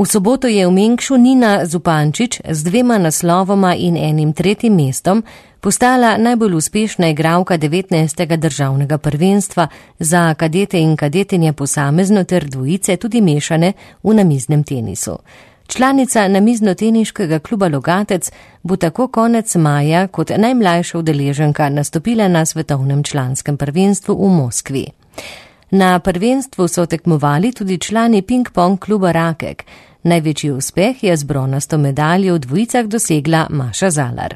V soboto je v Mengšu Nina Zupančič z 2 naslovoma in enim 3. mestom postala najbolj uspešna igralka 19. državnega prvenstva za kadete in kadetinje posamezno ter dvojice tudi mešane v namiznem tenisu. Članica namizno-teniškega kluba Logatec bo tako konec maja kot najmlajša udeleženka nastopila na svetovnem članskem prvenstvu v Moskvi. Na prvenstvu so tekmovali tudi člani ping-pong kluba Rakek. Največji uspeh je z bronasto medaljo v dvojicah dosegla Maša Zalar.